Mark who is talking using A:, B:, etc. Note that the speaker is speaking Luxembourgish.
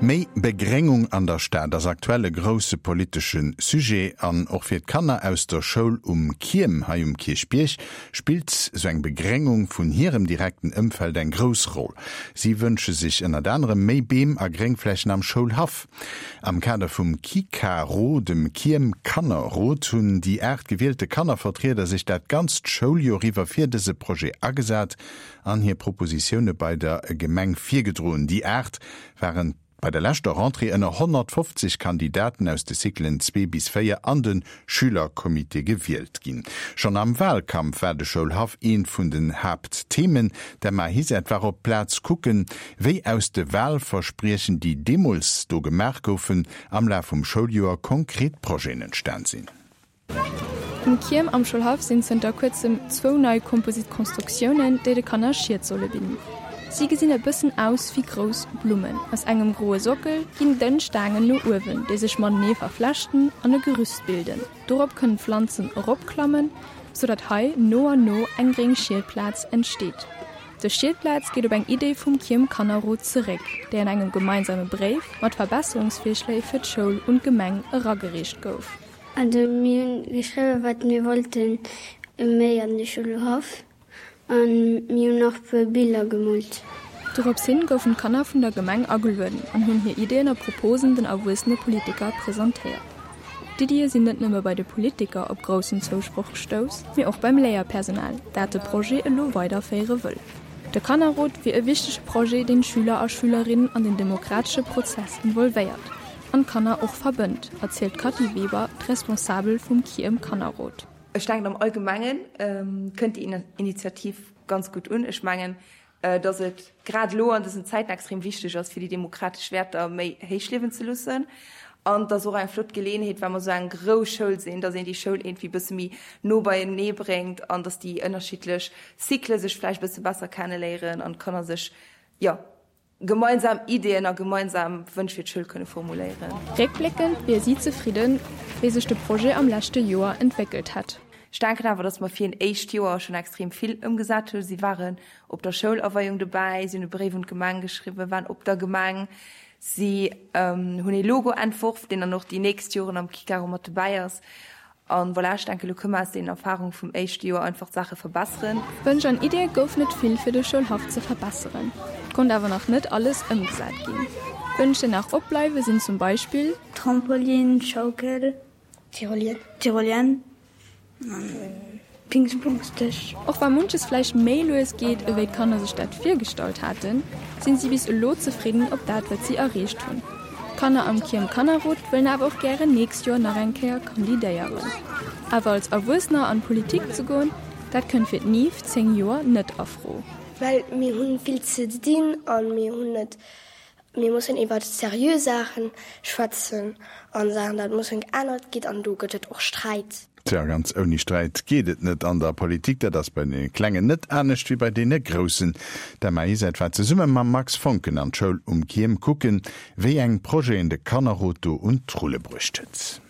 A: Méi Begréngung an der Stad ass aktuell e grousse politesche Sujet. An och fir d'Kanner aus der Schoul um Kierm hei um Kierchbierg spillt sou eng Begréngung vun hirem direkten Ëmfeld eng grouss Roll. Si wënsche sech ënnert anerem méi Beem a Gréngflächen am Schoulhaff. Am Kader vum KiKaRo, dem Kierm Kannerrot, hunn déi 8 gewielte Kannervertrieder sech dat ganzt Schouljoer iwwer fir dëse Projet agesat an hir Propositioune bei der Gemeng virgedroen. Déi 8 waren bei der leschter Rentrée ënner 150 Kandidaten aus de Cyclen 2 bis 4 an de Schülercomité gewielt ginn. Schonn am Walkampf war de Schoulhaff eent vun den Haaptthemen. D'Emma Hiset war op d'Plaz kucken, wéi aus de Walverspriechen, déi deemools do gemaach goufen, am Laf vum Schouljoer konkret Projeten entstan sinn.
B: Um Kierm am Schoulhaff sinn zënter kuerzem zwou nei komposit Konstruktiounen, déi de Kanner Schied solle bidden. Si gesinn e bëssen aus wéi grouss Blummen. Aus engem groe Sockel ginn dënn Staangen no uewen, déi sech matenee verflechten an e Gerüst bilden. Dorop kënnen d'Pflanzen eropklammen, sou datt hei no an no eng gréng Schiedplaz entsteet. Dës Schiedplaz geet op eng Idee vum Kierm Kannerrot zeréck, déi an engem gemeinsame Bréif mat Verbesserungsvirschléi fir d'Schoul un d'Gemeng eragereecht gouf.
C: Also mir hunn geschriwwen, wat mir wollten méi an de Schoulhaff an mir hunn nach puer Biller gemoolt.
B: Dorops hin goufen d'Kanner vun der Gemeng agelueden an hunn hir Ideeën a Proposen den erwuessene Politiker presentéiert. D'Iddie sinn net nëmme bei de Politiker op groussen Zousproch gestouss, mee och beim Léierpersonal, dat de Projet elo weiderféiere wëll. De Kannerrot wier e wichtege Projet, deen d'Schüler a Schülerinnen an den demokratesche Prozess involvéiert an d'Kanner och verbënnt, erzielt d'Cathy Weber, d'Responsabel vum Kierm Kannerrot.
D: Ech denken am Allgemengen kënnt déi Initiativ ganz gutt un. Ech mengen, datt et grad elo an dësen Zäiten extrem wichteg ass, fir déi demokratesch Wäerter méi héich liewen ze loossen. An et ass och eng flott Geleeënheet, well mer esou eng grouss Schoul sinn, datt een déi Schoul iergendwéi e bësse méi no beienee bréngt an datt déi ënnerschiddlech Cyclë sech vläicht e bësse besser kenneléieren an d'Kanner sech, jo, gemeinsam Ideeën a gemeinsam Wënsch fir d'Schoul kënne formuléieren.
B: Réckbléckend wier si zefridden, wéi sech de Projet am leschte Joer entwéckelt hätt.
D: Ech denken awer, datt mer fir een éischt Joer schonn extrem vill ëmgesat hunn. Si waren op der Schoulaweiung dobäi, si hunn e Bréif un d'Gemeng geschriwwen, waren op der Gemeng, si hunn ee Logo entworf, deen dann och déi nächst Joren am Kikaro mat dobäi ass. An voilà, ech denken, elo kënne mer aus deenen Erfahrunge vum éischte Joer einfach d'Saache verbesseren.
B: Wënsch an Iddie goufen et vill fir de Schoulhaff ze verbesseren, et konnt awer nach net alles ëmgesat ginn. Wënsch déi nach opbleiwe sinn zum Beispill.
C: Trampolin, Schaukel, Tyrolienne an Pingspongsdësch.
B: Och wa munches vläicht méi lues geet ewéi d'Kanner sech dat virgestallt haten, sinn si bis elo zefridden op dat wat si erreecht hunn. D'Kanner am Kierm Kannerrot wëllen awer och gären nächst Joer nach eng Kéier kandidéieren. Awer als Erwuessener an d'Politik ze goen, dat kënnt fir d'Niv, 10 Joer, net a Fro.
E: Well mir hunn vill ze dinn a mir hunn net, mir mussen iwwer seriö Saachen schwätzen an Saachen dat mussen geännert gitt an do gëtt et och Sträit.
A: Tja, ganz ouni Sträit geet et net an der Politik. Dat ass bei deene Klengen net anescht wéi bei deene Groussen. D'Emma Isert war zesumme mam Max Foncken an d'Schoul um Kierm kucken, wéi eng Projeten de Kannerrot do un d'Rulle bruecht huet.